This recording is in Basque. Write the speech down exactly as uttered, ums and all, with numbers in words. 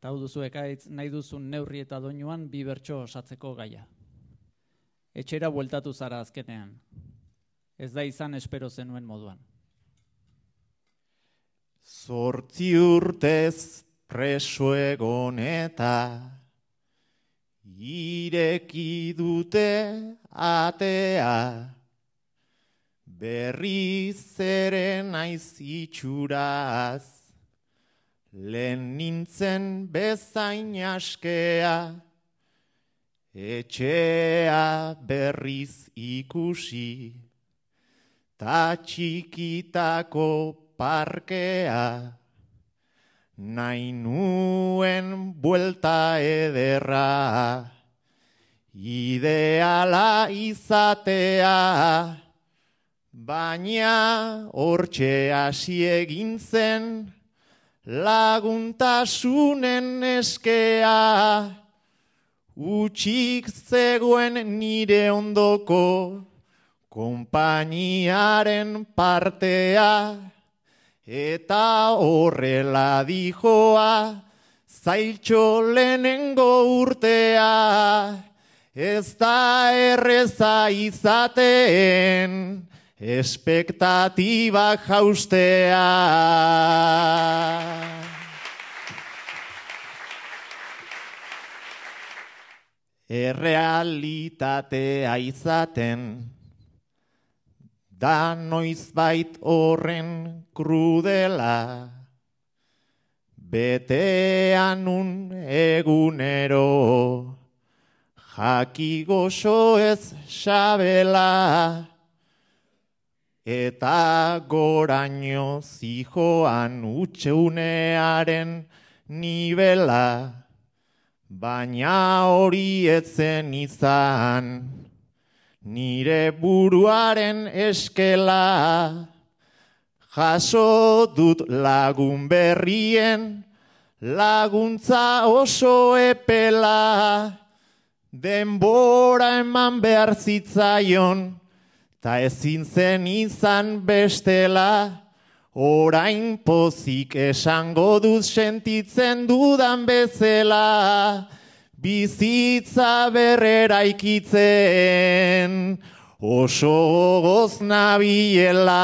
Eta hau duzu ekaitz nahi duzun neurri eta doinuan bi bertso osatzeko gaia. Etxera bueltatu zara azkenean. Ez da izan espero zenuen moduan. Zortzi urtez preso egon eta ireki dute atea, berriz ere naiz itxuraz, lehen nintzen bezain askea, etxea berriz ikusi, ta txikitako parkea, nahi nuen buelta ederra, ideala izatea, baina hortxe hasi egin zen, laguntasunen eskea, utxik zegoen nire ondoko, konpainiaren partea, eta horrela dijoa, zailtxo lehenengo urtea, ez da erreza izaten, espektatibak jaustea. Errealitatea izaten, da noizbait horren krudela, betean un egunero, jaki goxo ez xabela, eta goraino zijoan utxeunearen nibela, baina hori etzen izan, nire buruaren eskela, jaso dut lagun berrien, laguntza oso epela, denbora eman behar zitzaion, ta ezin zen izan bestela, orain pozik esango dut sentitzen dudan bezala, bizitza berrera ikitzen, oso goz nabiela.